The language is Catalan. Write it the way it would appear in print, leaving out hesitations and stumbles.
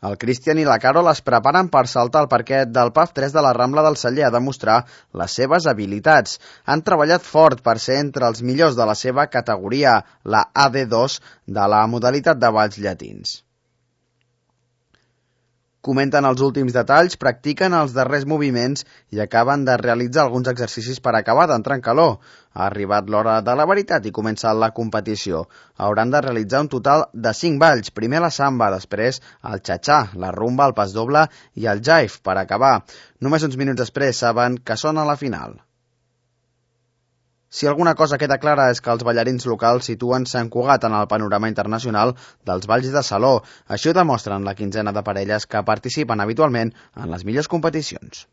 El Cristian i la Carol es preparen per saltar al parquet del PAF 3 de la Rambla del Celler a demostrar les seves habilitats. Han treballat fort per ser entre els millors de la seva categoria, la AD2 de la modalitat de balls llatins. Comenten els últims detalls, practiquen els darrers moviments i acaben de realitzar alguns exercicis per acabar d'entrar en calor. Ha arribat l'hora de la veritat i comença la competició. Hauran de realitzar un total de 5 balls. Primer la samba, després el xa-xa, la rumba, el pas doble i el jive per acabar. Només uns minuts després saben que són a la final. Si alguna cosa queda clara és que els ballarins locals situen Sant Cugat en el panorama internacional dels balls de saló. Això ho demostren la quinzena de parelles que participen habitualment en les millors competicions.